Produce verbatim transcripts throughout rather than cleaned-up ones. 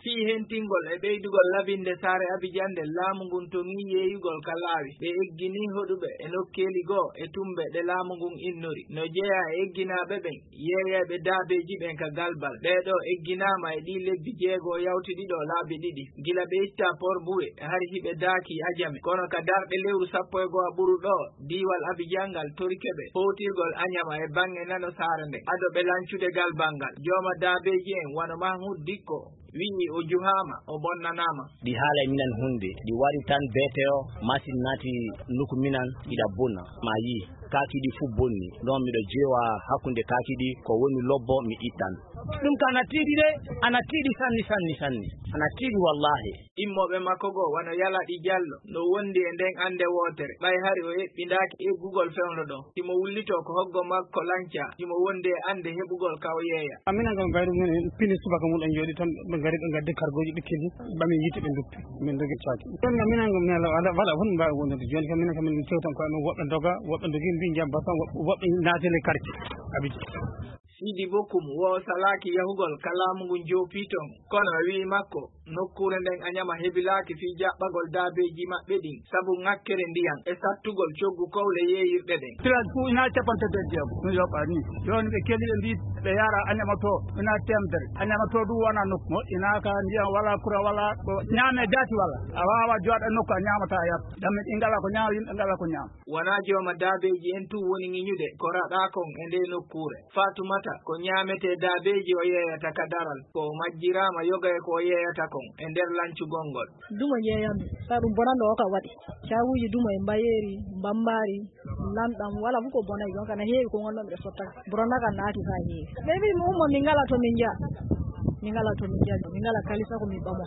Fii hentingol e ɓeydugol labinde saare Abijan nde, laamu ngun toŋii yeeyugol ka laawi. Ɓe eggini hoɗuɓe e nokkeeli goo e tumbe ɗe laamu ngun innori. No jeyaa e egginaaɓe ɓen yeeyeeɓe daabeeji ɓen ka Galbal. Ɓee ɗoo egginaama e ɗii lebbi jeego yawti ɗiɗo laabi ɗiɗi. Gila ɓe ittaa Port Bouët, hari hiɓe daakii Ajame. Kono ka darɗe lewru sappo e go'o ɓuru ɗoo, diiwal Abijan ngal torike ɓe fowtirgol Añama e baŋŋe nano saare nden. Ado ɓe lancude Galbal ngal, jooma daabeeji en wano Mahmoud Dikko wi'i o juhaama, o bonnanaama. Ɗi haalay minan huunde, ɗi wari tan beete o, masin naati nokku minan, hiɗa bona, ma yii, kaaki ɗi fuu bonni. Ɗon miɗo jeewa hakkunde kaaki ɗi, ko woni lobbo mi ittan. Ɗum ka ana tiiɗi de, ana tiiɗi sanni, sanni, sanni. Ana tiiɗi wallaahi. Immooɓe makko goo, wano Yalaɗi Jallo, no wondi e nden annde wootere, ɓay hari o eɓɓindaaki eggugol fewndo ɗon. Himo wullitoo ko hoggo makko lancaa, himo wondi e annde heɓugol ka o yeeya. Amina ngam gayru men en pini subaka mun en jooɗi tan, ɓe ngari ɓe ngaddi kargooji ɓe kedi, ɓami yiite ɓe nduppi, min dogirtaaki. Ɗon amina ngam nela wala, wala hon mbaawi wondude. Jooni kam minen kam min kewtan ko amen, woɓɓe doga, woɓɓe dogi mbi jam basan, woɓɓe, woɓɓe naatele quartier Abidjan. Sidi Bokum wo salaaki yahugol ka laamu ngun joopii ton, kono e wi'i makko, nokkuure nden Añama hebilaaki fii jaɓɓagol daabeeji maɓɓe ɗin sabu ŋakkere ndiyan e sattugol coggu kowle yeeyirɗe ɗen. Pilaas fuu ina capanɗe tati e jeego, no yoɓaa nii. Jooni ɓe keli ɓe mbii ɓe yaara Añama to, ina teemedere. Añama to ɗum wonaa nokku moƴƴinaaka, ndiyan walaa, kura walaa, ko ñaamee jaati walaa. A waawaa jooɗa nokku a ñaamataa a yara. Damme ɗi ngalaa ko ñaama, yimɓe ngalaa ko ñaama. Wanaa jooma daabeeji en tun woni ŋiñude ko raɗaa kon e ndee nokkuure. Faatumata, ko ñaametee daabeeji o yeeyata ka daral, ko o majjiraama yoga e ko o yeeyata kon e nder lancugol ngol. Dumo yeeyammi, sa ɗum bonanɗo o ka waɗi. Cawuuji dumo e mbayeeri, mbambaari, lanɗam, wala fof ko bonay. Donc ana heewi ko ngonno miɗo sotta. Bonana kan naati faa heewi. Ɓe mbii mi umma min ngala to min njaha. Min ngala to min njaha. Min ngala kalisa ko min ɓamo.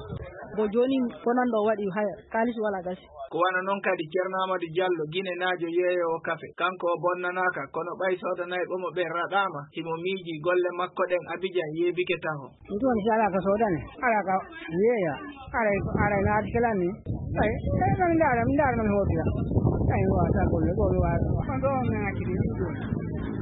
Bo jooni bonanɗo o waɗi haya, kalis wala gasi. Ko wano non kadi Ceerno Aamadu Jallo, ginenaajo yeeyoowo kafe. Kanko o bonnanaaka, kono ɓay soodanayɓe mo ɓen raɗaama, himo miijii golle makko ɗen Abijan yeebike taho. Mi ɗum si alaa ka soodane, alaa ka yeeya, aray, aray naati kala ni. Ay, ay, min ndaara, min ndaara, min hootira. Ay, mi waasa golle, ɗo mi waasa. On ɗo on naati ɗi, ɗi ɗo.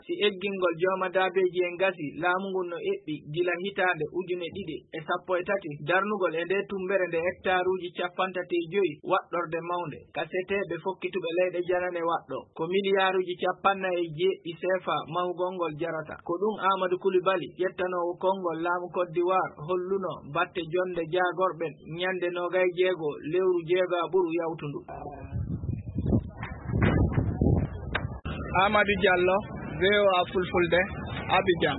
Si eggingol jooma daabeeji en gasi, laamu ngun no eɓɓi gila hitaande ujune ɗiɗi e sappo e tati, darnugol e ndee tummbere nde hektaaruuji cappanɗe tati e joy waɗɗorde mawnde, ka seteeɓe fokkituɓe leyɗe janane waɗɗo. Ko miliyaaruuji cappannayi e jeeɗiɗi seefa mahugol ngol jarata. Ko ɗum Aamadu Kulibali, ƴettanoowo konngol laamu Côte d'Ivoire, holluno batte jonnde jaagorɓe ñannde noogay e jeego lewru jeegaɓuru yawtundu. Aamadu Jallo, V O A Fulfulde, Abidjan.